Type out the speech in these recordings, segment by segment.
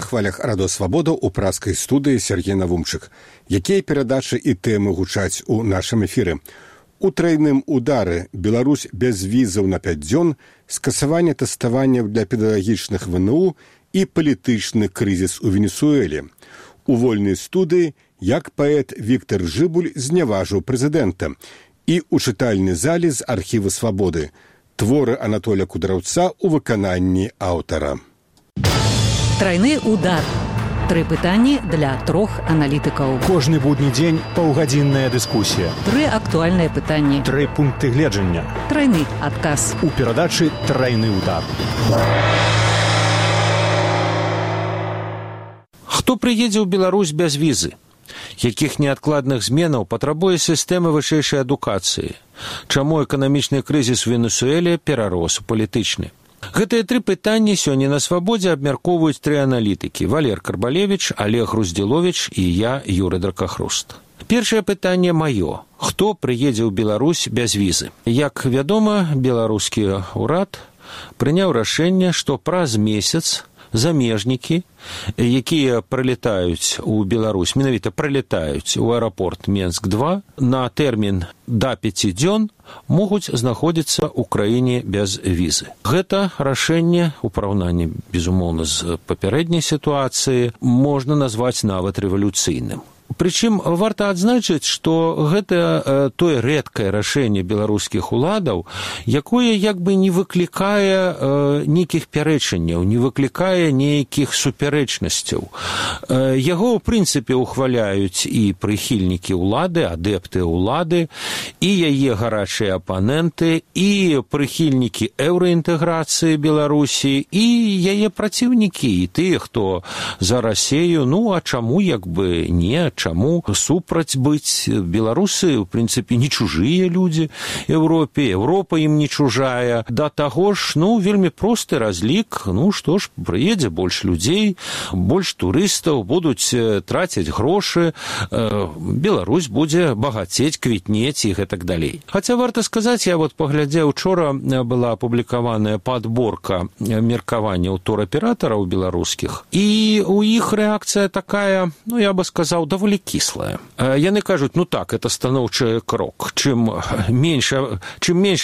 на хвалях радиосвабода у праскай студыі Сергей Навумчык. Якія перадачы і тэмы гучаць у нашым эфіры? У трайным удары Беларусь без візаў на 5 дзён, скасаванне тэставання для педагагічных ВНУ і палітычны крызіс у Венесуэле. У вольнай студыі як паэт Віктор Жыбуль зняважыў прэзідэнта і ў чытальнай зале з архіва «Свабоды» творы Анатолія Кудраўца ў выкананні аўтара. Трайны удар. 3 пытанні для 3 аналітыкаў. Кожны будні дзень паўгадзінная дыскусія. 3 актуальныя пытанні. 3 пункты гледжання. Трайны адказ. У перадачы «Трайны удар». Хто прыедзе ў Беларусь без візы? Якіх неадкладных зменаў патрабуе сістэма вышэйшай адукацыі? Чаму эканамічны крызіс у Венесуэле перарос у палітычны? Гэтыя 3 пытанні сёння на «Свабодзе» абмяркоўваюць 3 аналітыкі: Валер Карбалевіч, Олег Груздзіловіч і я, Юрый Дракахруст. Першае пытанне маё. Хто прыедзе ў Беларусь без візы? Як вядома, беларускі ўрад прыняў рашэнне, што праз месяц замежнікі, якія прылетаюць у Беларусь, менавіта прылетаюць у аэрапорт Менск-2 на тэрмін да 5 дзён, могуць знаходзіцца ў краіне без візы. Гэта рашэнне у параўнанні, безумоўна, з папярэдняй сітуацыі можна назваць нават рэвалюцыйным. Прычым варта адзначыць, што гэта тое рэдкае рашэнне беларускіх уладаў, якое як бы не выклікае нейкіх пярэчанняў, не выклікае нейкіх супярэчнасцяў. Яго, ў прынцыпе, ухваляюць і прыхільнікі ўлады, адэпты ўлады, і яе гарачыя апаненты, і прыхільнікі еўраінтэграцыі Беларусі, і яе праціўнікі, і тыя, хто за Расею, ну, а чаму як бы не, чаму супраць быць? Беларусы, у прынцыпе, не чужыя людзі Еўропе, Еўропа ім не чужая. Да таго ж, ну, вельмі просты разлік, ну, што ж, прыедзе больш людзей, больш турыстаў, будуць траціць грошы, Беларусь будзе багацець, квітнець і гэтак далей. Хаця варта сказаць, я вот паглядзеў, учора была апублікаваная падборка меркаванняў тураператараў беларускіх, і у іх рэакцыя такая, ну, я бы сказаў, даволі кислая. Яны кажуць, ну так, это станоўчы крок. Чым менш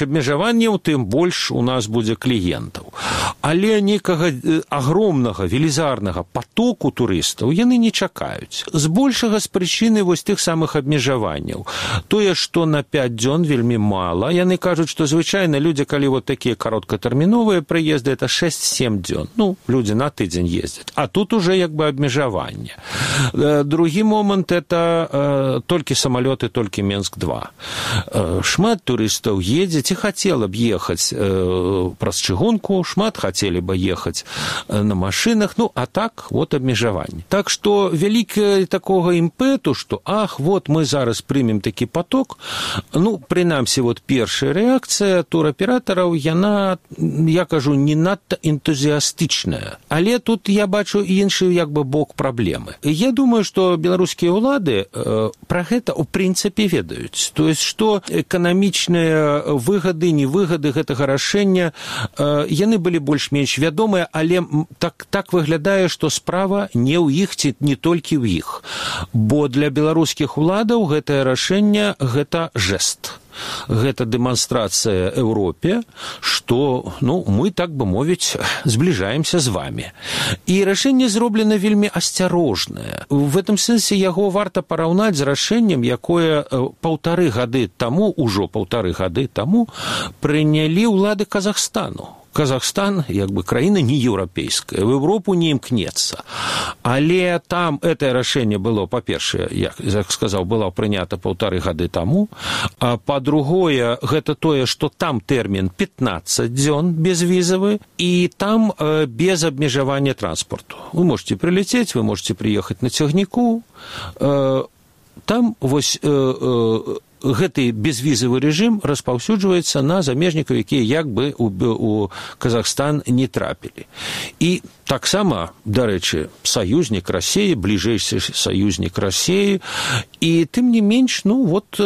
абмежаванняў, тым больш у нас будзе кліентаў. Але нейкага агромнага, велізарнага потоку турыстаў яны не чакаюць. Збольшага з прычыны вось тых самых абмежаванняў. Тое, што на 5 дзён вельмі мала. Яны кажуць, што звычайна людзі, калі вот такія кароткатэрміновыя прыезды, это 6-7 дзён. Ну, людзі на тыдзень ездзяць. А тут уже як бы абмежаванне. Другі момент – это толькі самалёты, толькі Менск-2. Шмат турыстаў едзе, ці хацела б ехаць праз чыгунку, шмат хацелі бы ехаць на машынах, ну, а так, вот абмежаванне. Так што вялікі такога імпэту, што, ах, вот мы зараз прымем такі поток, ну, прынамсі, вот першая рэакцыя тураператараў, яна, я кажу, не надта энтузіастычная. Але тут я бачу іншы, як бы, бок праблемы. Я думаю, што беларускія улады пра гэта ў прынцыпе ведаюць. То есть, што эканамічныя выгады, невыгады гэтага рашэння, яны былі больш-менш вядомыя, але так выглядае, што справа не ў іх, ці не толькі ў іх. Бо для беларускіх уладаў гэтае рашэнне – гэта жэст. Гэта дэманстрацыя Еўропе, што, ну, мы, так бы мовіць, збліжаемся з вамі. І рашэнне зроблена вельмі асцярожнае. В этом сэнсе яго варта параўнаць з рашэннем, якое паўтары гады таму прынялі ўлады Казахстану. Казахстан, як бы, краіна не еўрапейская, в Европу не імкнецца. Але там гэтае рашэнне было, па-першае, як сказаў, было прынята 1,5 гады таму, а па-другое, гэта тое, што там тэрмін 15 дзён безвізавы, і там без абмежавання транспорту. Вы можете прилететь, вы можете приехать на цягніку, там вось гэты безвізавы рэжым распаўсюджваецца на замежнікаў, якія як бы у Казахстан не трапілі. І таксама, дарэчы, саюзнік Расеі, бліжэйшы саюзнік Расеі, і тым не менш, ну вот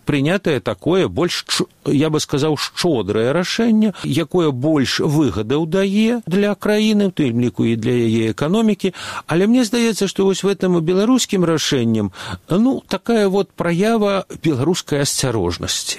прынятае такое больш, я бы сказаў, шчодрае рашэнне, якое больш выгадаў дае для краіны, у тым ліку і для яе эканомікі, але мне здаецца, што вось в этом беларускім рашэннем, такая вот праява беларускай асцярожнасці.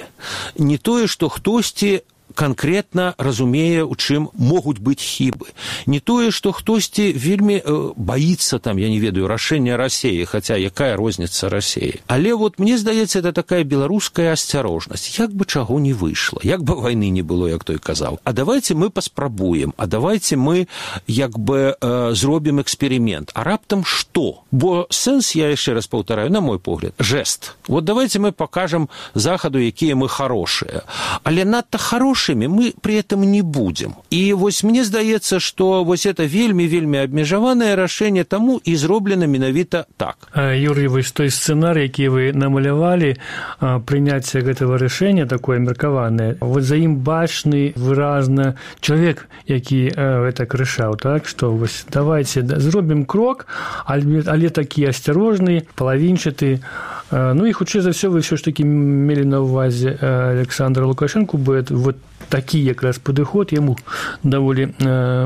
Не тое, што хтосьці конкретно разумее, у чым могуць быць хібы. Не тое, што хтосьці вельмі баіцца, там, я не ведаю, рашэння Расіі, хаця якая розніца Расіі. Але вот мне здаецца, это такая беларуская асцярожнасць. Як бы чаго не выйшла, як бы вайны не было, як той казаў. А давайте мы паспрабуем, а давайте мы як бы зробім эксперымент. А раптам што? Бо сэнс, я яшчэ раз паўтараю, на мой погляд, жест. Вот давайте мы покажем Захаду, якія мы хорошыя. Але надта хорошыя мы при этом не будем. И вось мне здаецца, что вось это вельмі абмежаванае рашэнне, таму і зроблена менавіта так. Юрий, вось той сцэнарый, які вы намалявалі, прыняцце гэтага рашэння такое меркаванае, вот за ім бачны выразна чалавек, які гэта рашаў, так, што вось давайте зробім крок, але такі асцярожны, палавінчаты. Ну і хутчэй за ўсё вы ўсё ж такі мелі на ўвазе Александра Лукашенко, бо вот такі якраз падыход яму даволі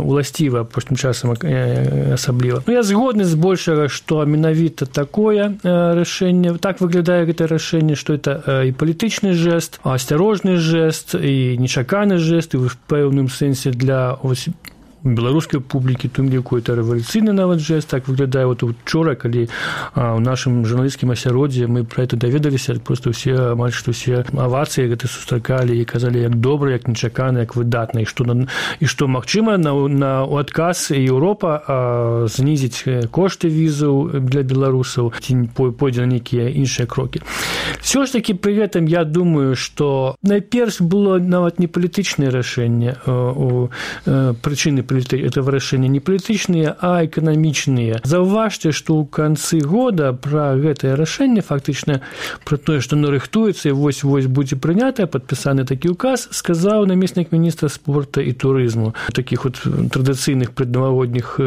уласціва апошнім часам асабліва. Я згодны збольшага, што менавіта такое рашэнне, так выглядае гэта рашэнне, што это і палітычны жэст, асцярожны жэст, і нечаканы жэст, і ў пэўным сэнсе для беларускай публікі, тым ліку это рэвалюцыйны нават жэст, так выглядае вот учора, калі ў нашым журналісцкім асяроддзі мы пра это даведаліся, просто ўсе, амаль што ўсе авацыі гэта сустракалі і казалі, як добра, як нечакана, як выдатна, і што магчыма у адказ Еўропа знізіць кошты візаў для беларусаў, ці пойдзе на нейкія іншыя крокі. Всё ж такі пры гэтым я думаю, што найперш было нават не палітычнае рашэнне, прычыны этого рашэння не палітычныя, а эканамічныя. Заўважце, што ў канцы года пра гэтае рашэнне, фактычна пра тое, што нарыхтуецца і вось будзе прынятае, падпісаны такі ўказ, сказаў намеснік міністра спорта і турызму. У такіх вот традыцыйных преднавагодніх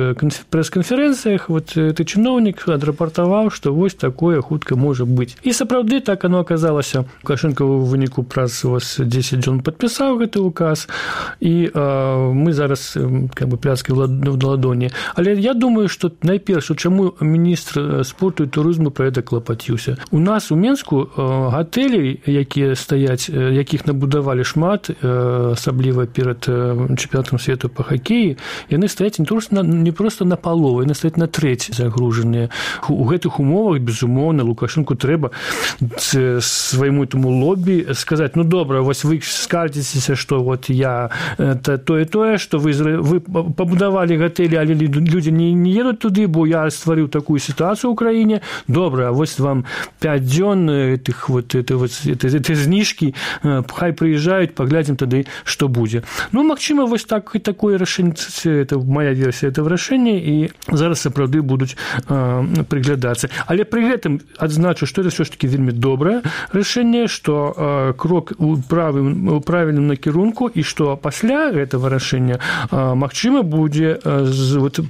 прэс-канферэнцыях ты чыноўнік адрапартаваў, што вось такое хутка можа быць. І сапраўды так оно аказалася. Лукашенко ў выніку праз 10 дзён падпісаў гэты ўказ, і мы зараз пляцкі в ладоні. Але я думаю, што найперш, чаму міністр спорту і турызму пра гэта клапаціўся. У нас у Менску гатэлі, якія стаяць, якіх набудавалі шмат, асабліва перад чэмпіянатам свету па хакеі, яны стаяць не проста на палову, яны стаяць на трэць загружаныя. У гэтых умовах, безумоўна, Лукашенку трэба свайму этому лобі сказаць, добра, вось вы скардзіцеся, што вот я тое, што вы пабудавалі гатэлі, але людзі не едуць туды, бо я стварыў такую сітуацыю ў краіне. Добра, вось вам 5 дзён этой зніжкі, хай прыязджаюць, паглядзім тады, што будзе. Магчыма, вось такое рашэнне, это моя версія этого рашэння, і зараз сапраўды будуць прыглядацца. Але пры гэтым адзначу, што это ўсё ж такі вельмі добрае рашэнне, што крок у правільным накірунку, і што пасля гэтага рашэння магчыма, будзе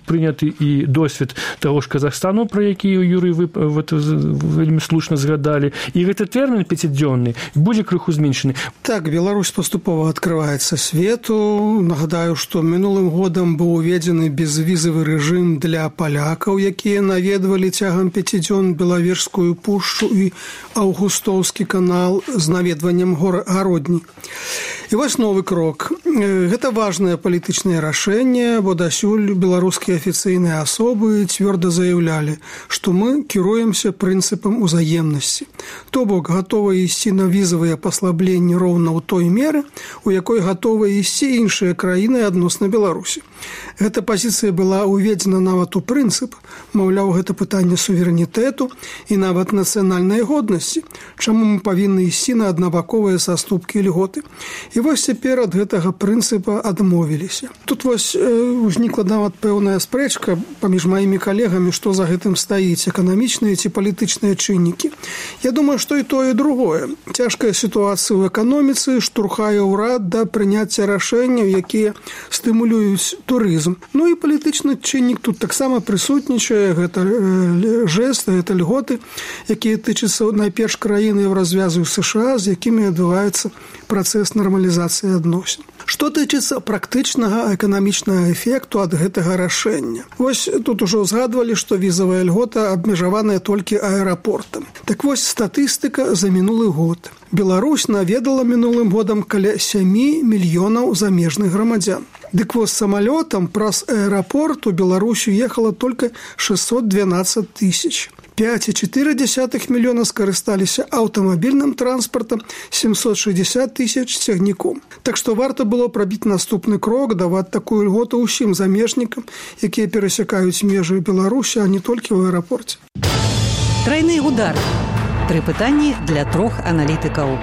прыняты і досвед таго ж Казахстану, пра які Юрый вы вельмі слушна згадалі, і гэты тэрмін 5-дзённы будзе крыху зменшаны. Так, Беларусь паступова адкрываецца свету. Нагадаю, што мінулым годам быў уведзены безвізавы рэжым для палякаў, якія наведвалі цягам 5 дзён Белавежскую пушчу і Аўгустоўскі канал з наведваннем гародні. І вось новы крок. Гэта важнае палітычнае рашэнне, бо дасюль беларускія афіцыйныя асобы цвёрда заяўлялі, што мы кіруемся прынцыпам узаемнасці. То бок, гатовы ісці на візавыя паслабленні роўна ў той меры, у якой гатовы ісці іншыя краіны адносна Беларусі. Гэта пазіцыя была уведзена нават у прынцып, маўляў, гэта пытанне суверэнітэту і нават нацыянальнай годнасці, чаму мы павінны ісці на аднабаковыя саступкі і льготы. І вось цяпер ад гэтага прынцыпа адмовіліся. Тут вось узнікла нават пэўная спрэчка паміж маімі калегамі, што за гэтым стаіць, эканамічныя ці палітычныя чыннікі. Я думаю, што і тое, і другое. Цяжкая сітуацыя ў эканоміцы штурхае ўрад да прыняцця рашэнняў, якія стымулююць турызм. Ну і палітычны чыннік тут таксама прысутнічае, гэта жэст, гэта льготы, якія тычацца найперш краіны Еўразвязу США, з якімі адбываецца працэс нармалізацыі адносін. Што тычыцца практычнага эканамічнага эфекту ад гэтага рашэння? Вось тут ужо згадвалі, што візавая льгота абмежаваная толькі аэрапортам. Так вось статыстыка за мінулы год. Беларусь наведала мінулым годам каля 7 мільёнаў замежных грамадзян. Дык вось самалётам праз аэрапорт у Беларусь уехала толькі 612 тысяч. 5,4 мільёна скарысталіся аўтамабільным транспартам, 760 тысяч цягніком. Так што варта было прабіць наступны крок, даваць такую льготу ўсім замежнікам, якія перасякаюць межы Беларусі, а не толькі ў аэрапорце. Трайны удар. 3 пытанні для 3 аналітыкаў.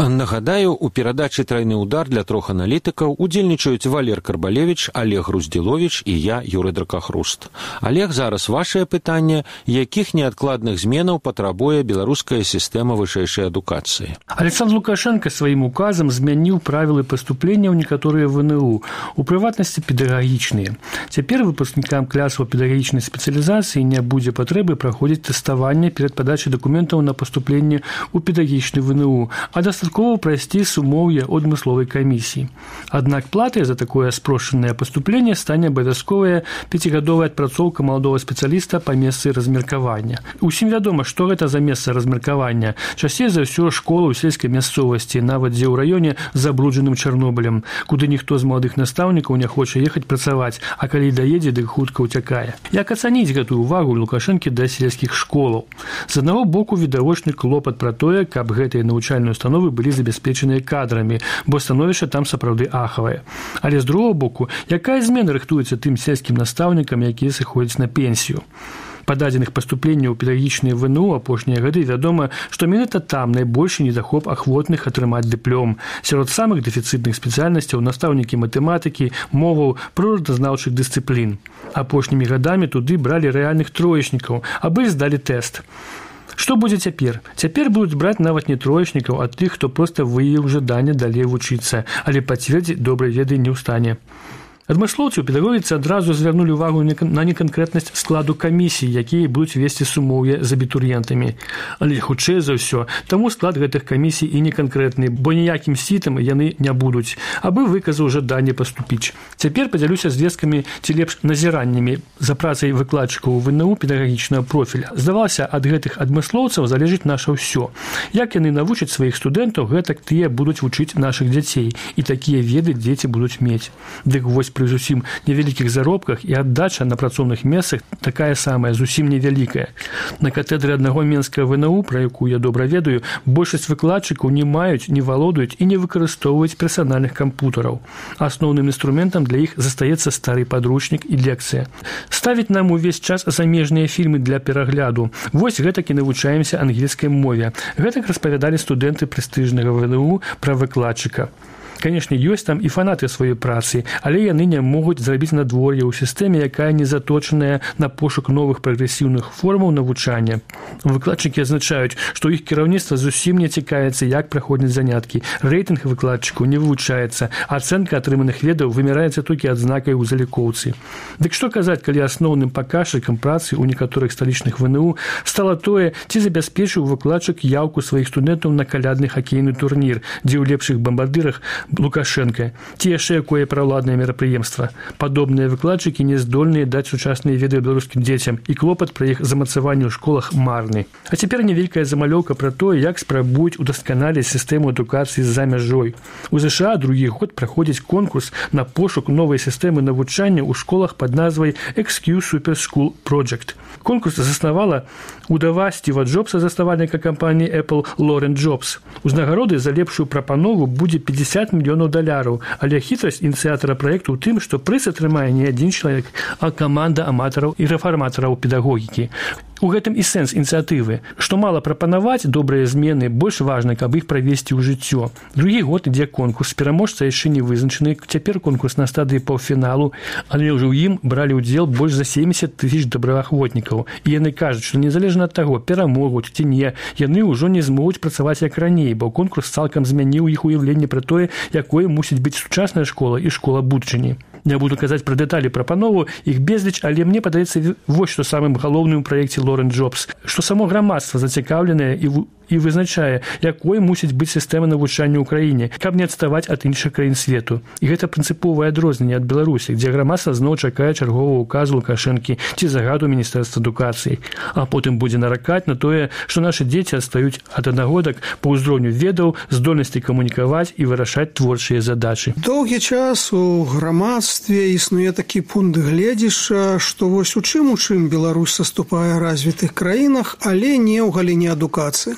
Нагадаю, у перадачы «Трайны удар» для 3 аналітыкаў удзельнічаюць Валер Карбалевіч, Олег Груздзіловіч і я, Юрый Дракахруст. Олег, зараз вашае пытанне, якіх неадкладных зменаў патрабуе беларуская сістэма вышэйшай адукацыі? Александр Лукашенко сваім указам змяніў правілы паступлення ў некаторыя ВНУ, у прыватнасці педагагічныя. Цяпер выпускнікам класаў педагагічнай спецыялізацыі не будзе патрэбы праходзіць тэставанне перад падачай дакументаў на паступленне ў педагагічны ВНУ, а дастаткова прайсці сумоўе адмысловай камісіі. Аднак платай за такое спрошчанае паступленне стане абавязковая 5гадовая адпрацоўка маладога спецыяліста па месцы размеркавання. Усім вядома, што гэта за месца размеркавання. Часцей за ўсё школа ў сельскай мясцовасці, нават дзе ў раёне з забруджаным Чарнобылем, куды ніхто з маладых настаўнікаў не хоча ехаць працаваць, а калі даедзе, дык хутка ўцякае. Як ацаніць гэтую увагу Лукашэнкі да сельскіх школаў? З аднаго боку відавочны клопат пра тое, каб гэтыя навучальныя установы былі забяспечаныя кадрамі, бо становішча там сапраўды ахавае. Але з другого боку, якая змена рыхтуецца тым сельскім настаўнікам, якія сыходзяць на пенсію? Па дадзеных паступленняў у педагагічныя ВНУ апошнія гады вядома, што менавіта там найбольшы недахоп ахвотных атрымаць дыплом. Сярод самых дэфіцытных спецыяльнасцяў настаўнікі матэматыкі, моваў, прыродазнаўчых дысцыплін. Апошнімі гадамі туды бралі рэальных троечнікаў, абы здалі тэст. Што будзе цяпер? Цяпер будуць браць нават не троечнікаў, а тых, хто проста выявіў жаданне далей вучыцца, але пацвердзіць добрай веды не ў стане. Адмыслоўцы ў педагогіцы адразу звярнулі ўвагу на неканкрэтнасць складу камісій, якія будуць весці сумоўе з абітурыентамі. Але хутчэй за ўсё, таму склад гэтых камісій і неканкрэтны, бо ніякім сітам яны не будуць, абы выказаў жаданне паступіць. Цяпер падзялюся звесткамі ці лепш назіраннямі за працай выкладчыкаў ВНУ педагагічнага профіля. Здавалася, ад гэтых адмыслоўцаў залежыць наша ўсё. Як яны навучаць сваіх студэнтаў, гэтак тыя будуць вучыць нашых дзяцей, і такія веды дзеці будуць мець. Дык вось пры зусім невялікіх заробках і аддача на працоўных месцах такая самая, зусім невялікая. На катедры аднаго менскага ВНУ, пра якую я добра ведаю, большасць выкладчыкаў не маюць, не валодаюць і не выкарыстоўваюць персанальных кампутараў. Асноўным інструментам для іх застаецца стары падручнік і лекцыя. Ставіць нам увесь час замежныя фільмы для перагляду. Вось гэтак і навучаемся ангельскай мове. Гэтак распавядалі студэнты прэстыжнага ВНУ пра выкладчыка. Канешне, ёсць там і фанаты сваёй працы, але яны не могуць зрабіць надвор'е ў сістэме, якая не заточаная на пошук новых прагрэсіўных формаў навучання. Выкладчыкі азначаюць, што іх кіраўніцтва зусім не цікавіцца, як праходзяць заняткі. Рэйтынг выкладчыкаў не вывучаецца, ацэнка атрыманых ведаў вымяраецца толькі адзнакай у залікоўцы. Дык што казаць, калі асноўным паказчыкам працы ў некаторых сталічных ВНУ стала тое, ці забяспечыў выкладчык яўку сваіх студэнтаў на калядны хакейны турнір, дзе ў лепшых бамбардырах Лукашенко, ці яшчэ якое праўладнае мерапрыемства. Падобныя выкладчыкі не здольныя даць сучасныя веды беларускім дзецям, і клопат пра іх замацаванне ў школах марны. А цяпер невялікая замалёўка пра тое, як спрабуюць удасканаліць сістэму адукацыі за мяжой. У ЗША другі год праходзіць конкурс на пошук новай сістэмы навучання ў школах пад назвай XQ Super School Project. Конкурс заснавала удава Стіва Джобса, заснавальніка кампаніі Apple, Лорен Джобс. Узнагароды за лепшую прапанову будзе $50 мільёнаў, але хітрасць ініцыятара праекту ў тым, што прыз атрымае не адзін чалавек, а каманда аматараў і рэфарматараў педагогікі. У гэтым і сэнс ініцыятывы, што мала прапанаваць добрыя змены, больш важна, каб іх правесці ў жыццё. Другі год ідзе конкурс, пераможца яшчэ не вызначаны, цяпер конкурс на стадыі паўфіналу, але ўжо ў ім бралі ўдзел больш за 70 000 добраахвотнікаў. І яны кажуць, што незалежна ад таго, перамогуць ці не, яны ўжо не змогуць працаваць як раней, бо конкурс цалкам змяніў іх уяўленне пра тое, якое мусіць быць сучасная школа і школа будучыні. Не буду казаць пра дэталі прапанову, іх безліч, але мне падаецца вось што самым галоўным у праекце Лорен Джобс, што само грамадства зацікаўленае і вызначае, якой мусіць быць сістэма навучання ў краіне, каб не адставаць ад іншых краін свету. І гэта прынцыповае адрозненне ад Беларусі, дзе грамадства зноў чакае чаргового указу Лукашэнкі ці загаду Міністэрства адукацыі. А потым будзе наракаць на тое, што нашы дзеці адстаюць ад аднагодак па ўзроўню ведаў, здольнасці камунікаваць і вырашаць творчыя задачы. Доўгі час у грамадстве існуе такі пункт гледзяшча, што вось у чым Беларусь саступае развітых краінах, але не ў галіне адукацыі.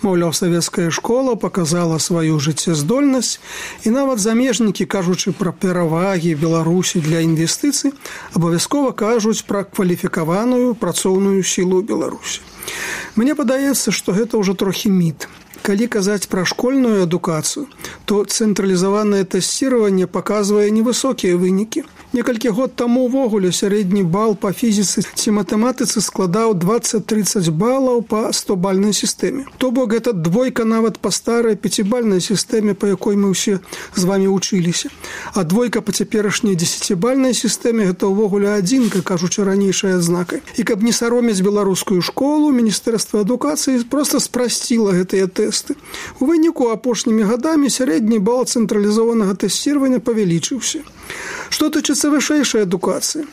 Маўляў, савецкая школа показала сваю жыццяздольнасць, і нават замежнікі, кажучы пра перавагі Беларусі для інвестыцый, абавязкова кажуць пра кваліфікаваную працоўную сілу Беларусі. Мне падаецца, што гэта ўжо трохі міт. Калі казаць пра школьную адукацыю, то цэнтралізаванае тэсціраванне паказвае невысокія вынікі. Некалькі год таму ўвогуле сярэдні бал па фізіцы ці матэматыцы складаў 20-30 балаў па 100-бальнай сістэме. То бок гэта двойка нават па старай 5-бальнай сістэме, па якой мы ўсе з вамі вучыліся. А двойка па цяперашняй 10-бальнай сістэме гэта ўвогуле адзінка, кажучы ранейшай адзнакай. І каб не саромець беларускую школу, Міністэрства адукацыі проста спрасціла гэтыя тэсты. У выніку апошнімі гадамі сярэдні бал цэнтралізаванага тэсціравання павялічыўся. Што тычыцца вышэйшай адукацыі?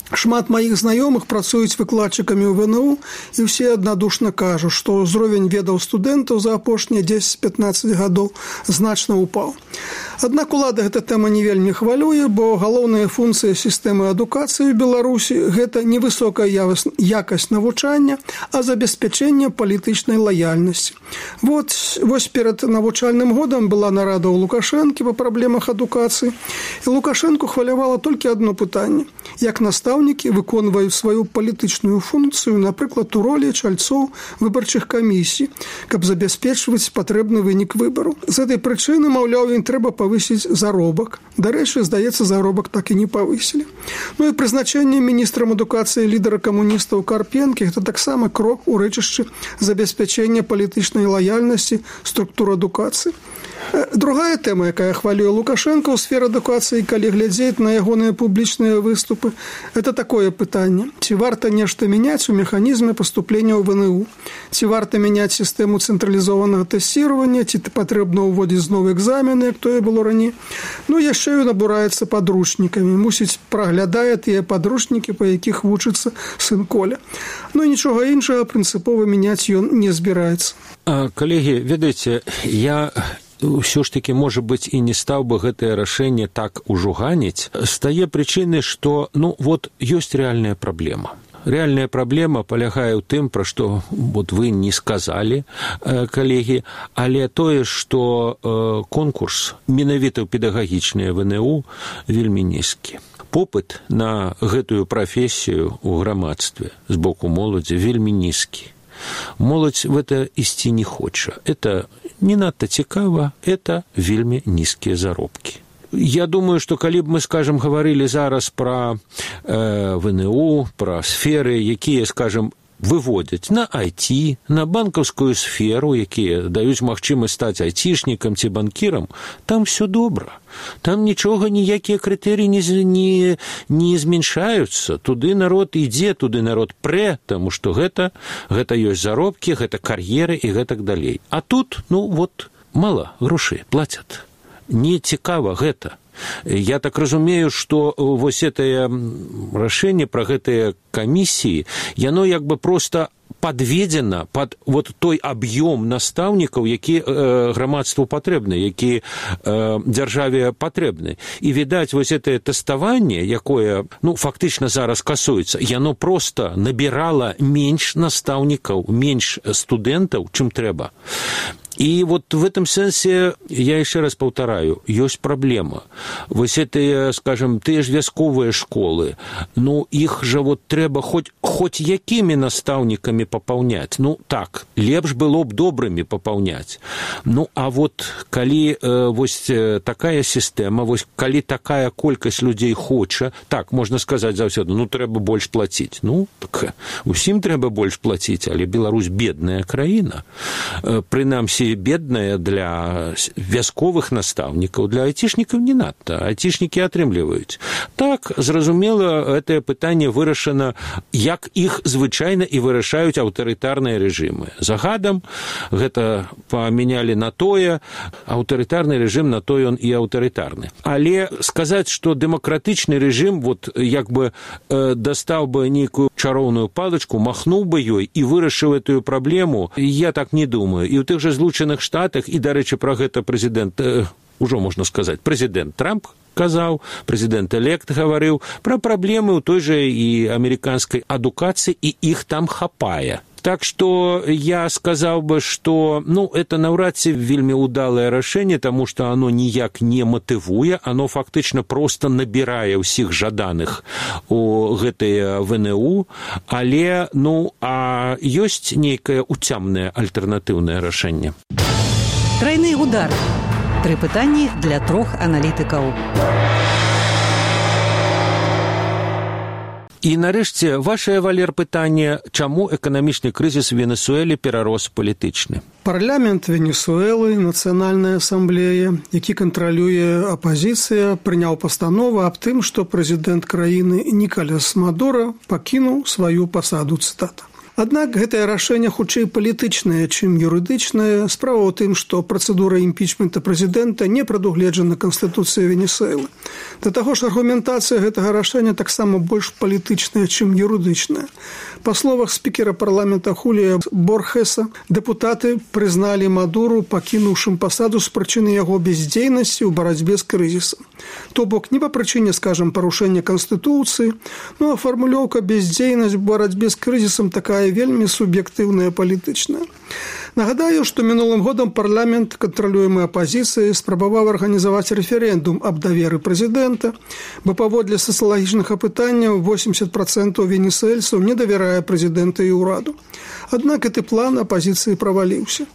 Шмат маіх знаёмых працуюць выкладчыкамі ў ВНУ, і ўсе аднадушна кажуць, што ўзровень ведаў студэнтаў за апошнія 10-15 гадоў значна ўпаў. Аднак улада гэта тэма не вельмі хвалюе, бо галоўная функцыя сістэмы адукацыі ў Беларусі – гэта не высокая якасць навучання, а забеспячэнне палітычнай лаяльнасці. Вось перад навучальным годам была нарада ў Лукашэнкі па праблемах адукацыі, і Лукашэнку хвалявала толькі адно пытанне – як настаўнікі выконваюць сваю палітычную функцыю, напрыклад, у ролі чальцоў выбарчых камісій, каб забяспечваць патрэбны вынік выбару. З гэтай прычыны, маўляў, ім трэба павысіць заробак. Дарэчы, здаецца, заробак так і не павысілі. Ну і прызначэнне міністрам адукацыі лідара камуністаў Карпенкі – гэта таксама крок у рэчышчы забеспячэння палітычнай лаяльнасці структур адукацыі. Другая тэма, якая хвалюе Лукашэнка ў сферы адукацыі, калі глядзець на ягоныя публічныя выступы, это такое пытанне. Ці варта нешта мяняць у механізме паступлення ў ВНУ? Ці варта мяняць сістэму цэнтралізованага тэсціравання? Ці патрэбна ўводзіць зноў экзамены, як тое было раней? Ну, яшчэ ён абураецца падручнікамі. Мусіць, праглядае тыя падручнікі, па якіх вучыцца сын Коля. Ну, і нічога іншага прынцыпова мяняць ён не збіраецца. Калегі, ведаеце, я ўсё ж таки, можа быць, і не стаў бы гэтае рашэнне так ужуганіць, з тае прычыны, што, ёсць рэальная праблема. Рэальная праблема палягае ў тым, пра што вы не сказалі, калегі, але тое, што конкурс менавіта ў педагагічныя ВНУ вельмі нізкі. Попыт на гэтую прафесію ў грамадстве з боку моладзі вельмі нізкі. Моладзь в это ісці не хоча. Это не надта цікава, это вельмі нізкія заробкі. Я думаю, што калі б мы, скажам, гаварылі зараз пра ВНУ, пра сферы, якія, скажам, выводзяць на IT, на банкаўскую сферу, якія даюць магчымасць стаць айцішнікам ці банкірам, там все добра. Там нічога, ніякія крытэрыі не зменшаюцца. Туды народ ідзе, туды народ прэ, таму што гэта ёсць заробкі, гэта кар'еры і гэтак далей. А тут, мала грошай плацяць. Не цікава гэта. Я так разумею, што вось гэтае рашэнне пра гэтыя камісіі, яно проста падведзена пад той аб'ём настаўнікаў, які грамадству патрэбны, які дзяржаве патрэбны. І, відаць, вось гэтае тэставанне, якое, фактычна зараз касуецца, яно проста набірала менш настаўнікаў, менш студэнтаў, чым трэба. И вот в этом сенсе, я еще раз повторяю, есть проблема. Вот это, скажем, те же вязковые школы, ну, их же вот треба хоть якими наставниками пополнять. Ну, так, лепш было б добрыми пополнять. Ну, а вот коли вось такая система, вось коли такая колькость людей хоча, так, можно сказать заўсёды, ну, трэба больш платить. Ну, так, усім трэба больш платить, але Беларусь бедная краіна. Прынамсі, бедная для вязковых настаўнікаў, для айцішнікаў не надта. Айцішнікі атрымліваюць. Так, зразумела, гэтае пытанне вырашана, як іх звычайна і вырашаюць аўтарытарныя рэжымы. Загадам гэта памянялі на тое, аўтарытарны рэжым на то ён і аўтарытарны. Але сказаць, што дэмакратычны рэжым вот як бы дастаў бы нейкую чароўную палачку, махнуў бы ёй і вырашыў эту праблему, я так не думаю. І ў тых жа Злучаных Штатах, і, дарэчы, пра гэта прэзідэнт, ужо можна сказаць, прэзідэнт Трамп казаў, прэзідэнт-элект гаварыў пра праблемы ў той жа і амерыканскай адукацыі, і іх там хапае. Так что я сказал бы, что, ну, это навряд ці вельмі удалое рашэнне, тому что оно ніяк не матывуе, оно фактично просто набирае ўсіх жаданых у гэтай ВНУ, але, ну, а ёсць нейкае уцямнае альтэрнатыўнае рашэнне. Тройны удар. 3 пытанні для 3 аналітыкаў. І, нарэшце, вашае, Валер, пытанне, чаму эканамічны крызіс у Венесуэле перарос палітычны? Парламент Венесуэлы, Нацыянальная асамблея, які кантралюе апазіцыя, прыняў пастанову аб тым, што прэзідэнт краіны Нікалас Мадура пакінуў сваю пасаду, цытата. Аднак гэтае рашэнне хутчэй палітычнае, чым юрыдычнае. Справа ў тым, што працэдура імпічмента прэзідэнта не прадугледжана Канстытуцыяй Венесуэлы. Да таго ж аргументацыя гэтага рашэння таксама больш палітычная, чым юрыдычная. Па словах спікера парламента Хулія Борхеса, дэпутаты прызналі Мадуру пакінуўшым пасаду з прычыны яго бяздзейнасці ў барацьбе з крызісам. То бок не па прычыне, скажам, парушэння Канстытуцыі, ну а фармулёўка бяздзейнасць у барацьбе з крызісам такая вельмі суб'ектыўная палітычная. Нагадаю, што мінулым годам парламент, кантралюемы апазіцыяй, спрабаваў арганізаваць рэферэндум аб даверы прэзідэнта, бо паводле сацыялагічных апытанняў 80% венесуэльцаў не давярае прэзідэнта і ўраду. Аднак гэты план апазіцыі праваліўся,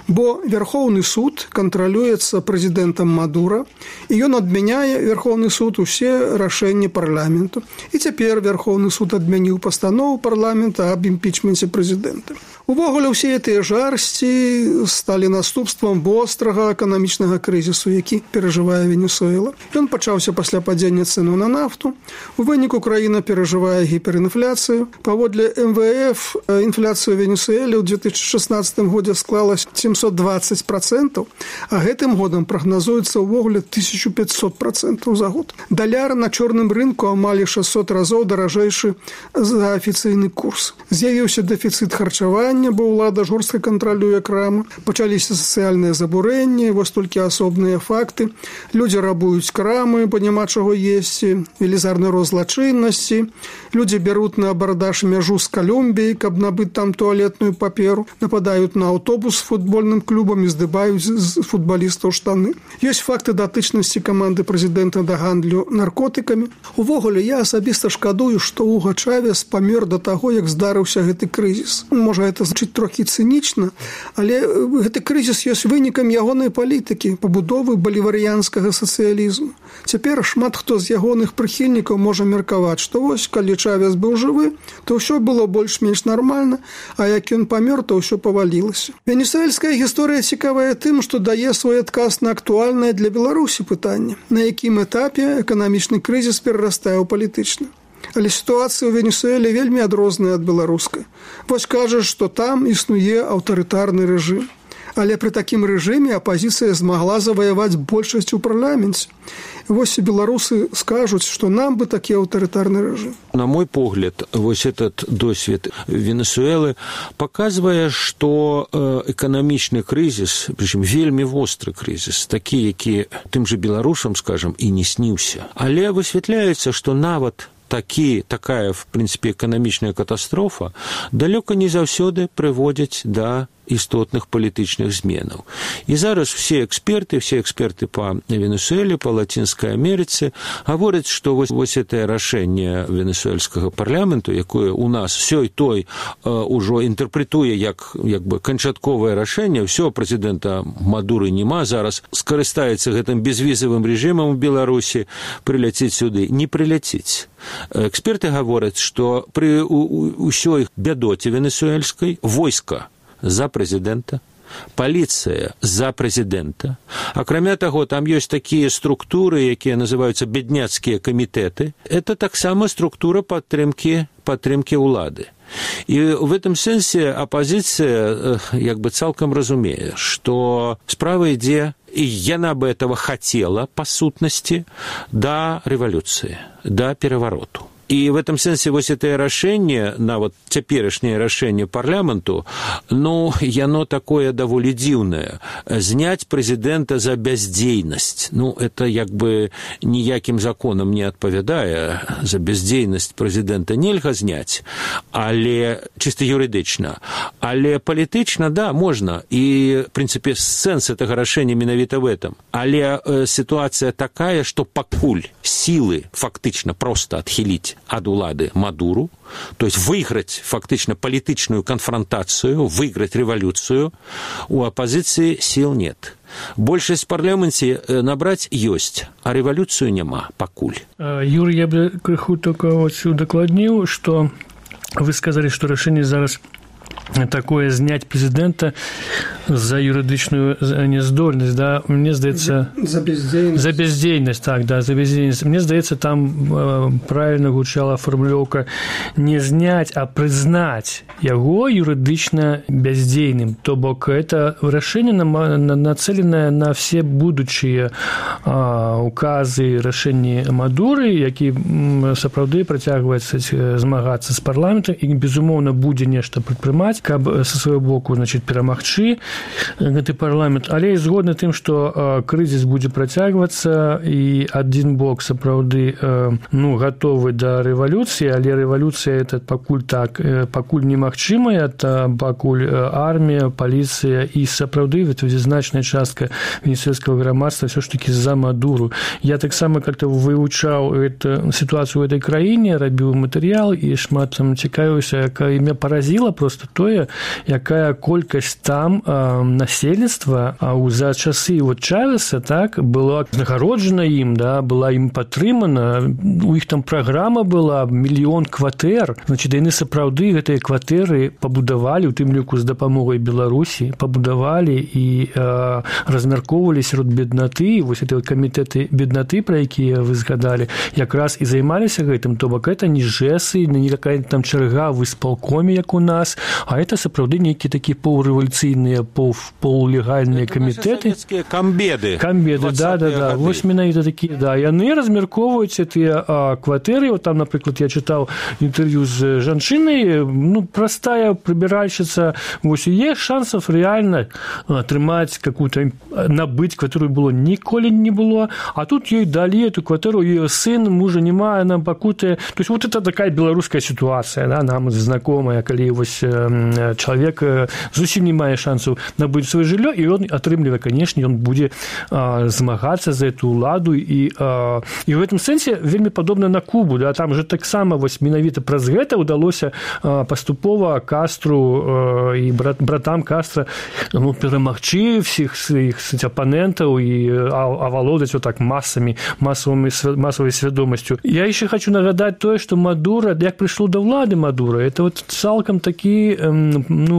бо Верхоўны суд кантралюецца прэзідэнтам Мадура, і ён адмяняе Верхоўны суд усе рашэнні парламенту. І цяпер Верхоўны суд адмяніў пастанову парламента аб імпічменце прэзідэнта. Увогуле, ўсе гэтыя жарсці сталі наступствам вострага эканамічнага крызісу, які перажывае Венесуэла. Ён пачаўся пасля падзення цэну на нафту. У выніку краіна перажывае гіперінфляцыю. Паводле МВФ інфляцыя ў Венесуэле ў 2016 годзе склала 720%, а гэтым годам прагназуецца ўвогуле 1500% за год. Даляр на чорным рынку амаль 600 разоў даражэйшы за афіцыйны курс. З'явіўся дэфіцыт харчавання, бо ўлада жорстка кантралюе крамы. Пачаліся сацыяльныя забурэнні, вось толькі асобныя факты. Людзі рабуюць крамы, бо няма чаго есці, велізарны рост злачыннасці. Людзі бяруць на абардаж мяжу з Калумбіяй, каб набыць там туалетную паперу, нападаюць на аўтобус з футбольным клубам і здыбаюць з футбалістаў штаны. Ёсць факты датычнасці каманды прэзідэнта да гандлю наркотыкамі. Увогуле, я асабіста шкадую, што Уга Чавес памёр да таго, як здарыўся гэты крызіс. Можа, гэта значыць трохі цынічна, але гэты крызіс ёсць вынікам ягонай палітыкі, пабудовы баліварыянскага сацыялізму. Цяпер шмат хто з ягоных прыхільнікаў можа меркаваць, што вось, калі Чавес быў жывы, то ўсё было больш-менш нармальна, а як ён памёр, то ўсё павалілася. Венесуэльская гісторыя цікавая тым, што дае свой адказ на актуальнае для Беларусі пытанне, на якім этапе эканамічны крызіс перарастае ў палітычны. Але сітуацыя ў Венесуэле вельмі адрозная ад беларускай. Вось кажаш, што там існуе аўтарытарны рэжым. Але пры такім рэжыме апазіцыя змагла заваяваць большасць у парламенце. Вось і беларусы скажуць, што нам бы такі аўтарытарны рэжым. На мой погляд, вось этот досвед Венесуэлы показывае, што эканамічны крызіс, прычым вельмі востры крызіс, такі, які тым жа беларусам, скажам, і не сніўся. Але высвятляецца, што нават такая, в прынцыпе, эканамічная катастрофа далёка не заўсёды прыводзіць да істотных палітычных зменаў. І зараз все эксперты па Венесуэле, па Лацінскай Амерыцы гавораць, што вось гэтае рашэнне венесуэльскага парламенту, якое у нас сёй-той ужо інтэрпрэтуе як бы канчатковае рашэнне, ўсё, прэзідэнта Мадуры няма, зараз скарыстаецца гэтым безвізавым рэжымам у Беларусі, прыляціць сюды. Не прыляціць. Эксперты гавораць, што пры ўсёй бядоце венесуэльскай войска за прэзідэнта, паліцыя за прэзідэнта. Акрамя таго, там ёсць такія структуры, якія называюцца бедняцкія камітэты. Это таксама структура падтрымкі ўлады. І в этом сэнсе апозіцыя як бы цалкам разумее, што справа ідзе, і яна бы этого хотела, па сутнасці, да рэвалюцыі, да перавароту. І в этом сэнсе вось гэтае рашэнне, нават цяперашняе рашэнне парламенту, яно такое даволі дзіўнае. Зняць прэзідэнта за бяздзейнасць. Это як бы ніякім законам не адпавядае. За бяздзейнасць прэзідэнта нельга зняць, але чыста юрыдычна. Але палітычна, да, можна. І, в прынцыпе, сэнс гэтага рашэння менавіта в этом. Але сітуацыя такая, што пакуль сілы фактычна проста адхіліць ад улады Мадуру, то есть выиграть фактично политическую конфронтацию, выиграть революцию, у оппозиции сил нет. Большасць в парламенце набраць ёсць, а революцию няма пакуль. Юрий, я бы крыху только удакладніў, что вы сказали, что решение зараз такое снять президента за юридичную нездольность, да, мне здаецца... За бездейность. За бездейность, так, да, за бездейность. Мне здаецца, там правильно гучала формулёўка не снять, а признать его юридично бездейным. То бок, это решение нацеленное на все будущие указы, решения Мадуры, які сапраўды працягваюцца змагацца з парламентам і, безумоўна, будзе нешта прадпрымаць, каб са свайго боку, значит, перамагчы гэты парламент, але і згодна тым, што крызіс будзе працягвацца і адзін бок сапраўды гатовы да рэвалюцыі, але рэвалюцыя это пакуль немагчымая, пакуль армія, паліцыя і сапраўды значная частка венесуэльскага грамадства ўсё ж такі за Мадуру. Я таксама как-то вывучаў сітуацыю ў этой краіне, рабіў матэрыял і шмат там цікавіўся, якая мяне паразіла просто тое, якая колькасць там насельніцтва за часы Чавеса, так, была знагароджана ім, да, была ім падтрымана, у іх там праграма была 1 мільён кватэр, значит, яны сапраўды гэтыя кватэры пабудавалі, у тым ліку з дапамогай Беларусі, пабудавалі і размяркоўвалі сярод беднаты, вось гэтыя камітэты беднаты, пра якія вы згадалі, якраз і займаліся гэтым, то бок это не жэсы, не какая там чарга в исполкоме, як у нас, а это сапраўды нейкія такія паўрэвалюцыйныя, паўлегальныя камітэты. Камбеды, да. Вось менавіта такія, да. Яны размяркоўваюць тыя кватэры. Вот там, напрыклад, я чытаў інтэрв'ю з жанчынай, простая прыбіральшчыца, вось у іх шансов реально атрымаць какую-то, набыць кватэру было ніколі не было, а тут ёй далі эту кватэру, ее сын, мужа няма, она пакутае. То есть вот это такая беларуская ситуация, да, нам знакомая, калі вось человек зусім не мае шансаў набыць сваё жыллё, і ён атрымлівае, конечно, ён будзе змагацца за эту ўладу, і в этом сэнсе вельмі падобна на Кубу, да, там же таксама вось менавіта праз гэта ўдалося паступова Кастру і братам Кастра перамагчы всіх сваіх апанентаў і авалодаць вот так массовой свядомасцю. Я еще хочу нагадать тое, что Мадура, як прыйшло до ўлады Мадура, это вот цалкам такі,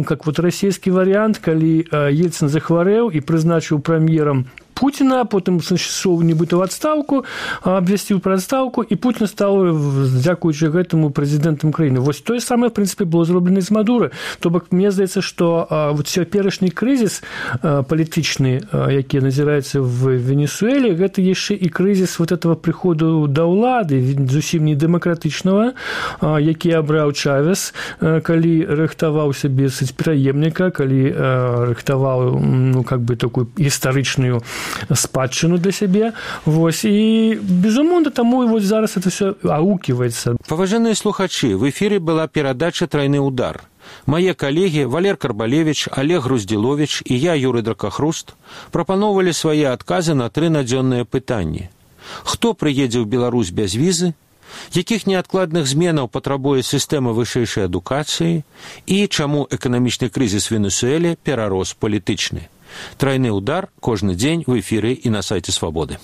как вот расійскі вариант, калі Ельцин захварэў і прызначыў прэм'ерам Путина, потым сышоў нібыта ў адстаўку, абвясціў пра адстаўку, і Путін стаў, дзякуючы гэтаму, прэзідэнтам краіны. Вось тое самае, в прынцыпе, было зроблена з Мадуры. То бок, мне здаецца, што вот цяперашні крызіс палітычны, які назіраецца в Венесуэле, гэта яшчэ і крызіс вот этого прыходу да ўлады, зусім не дэмакратычнага, які абраў Чавес, калі рыхтаваў сабе пераемніка, калі рыхтаваў, как бы, такую гістарычную спадчыну для сябе. Вось. І, безумоўна, таму і вось зараз это все аукивается. Паважаныя слухачы, в эфире была перадача «Тройны удар». Мои коллеги Валер Карбалевич, Олег Груздилович и я, Юрий Дракахруст, прапановывали свои отказы на 3 надзённыя пытанні. Хто прыедзе ў Беларусь без візы? Якіх неадкладных зменаў патрабуе сістэма вышэйшай адукацыі? І чаму эканамічны крызіс в Венесуэле перарос палітычны? «Тройны удар» кожны дзень в эфире и на сайте «Свободы».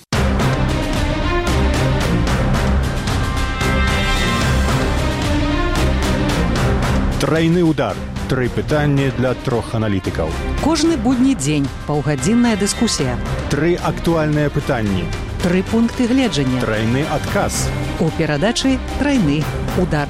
Тройны удар. 3 пытанні для 3 аналітыкаў. Кожны будні дзень паўгадзінная дыскусія. 3 актуальныя пытанні. 3 пункты гледжання. Тройны адказ. У перадачы «Тройны удар».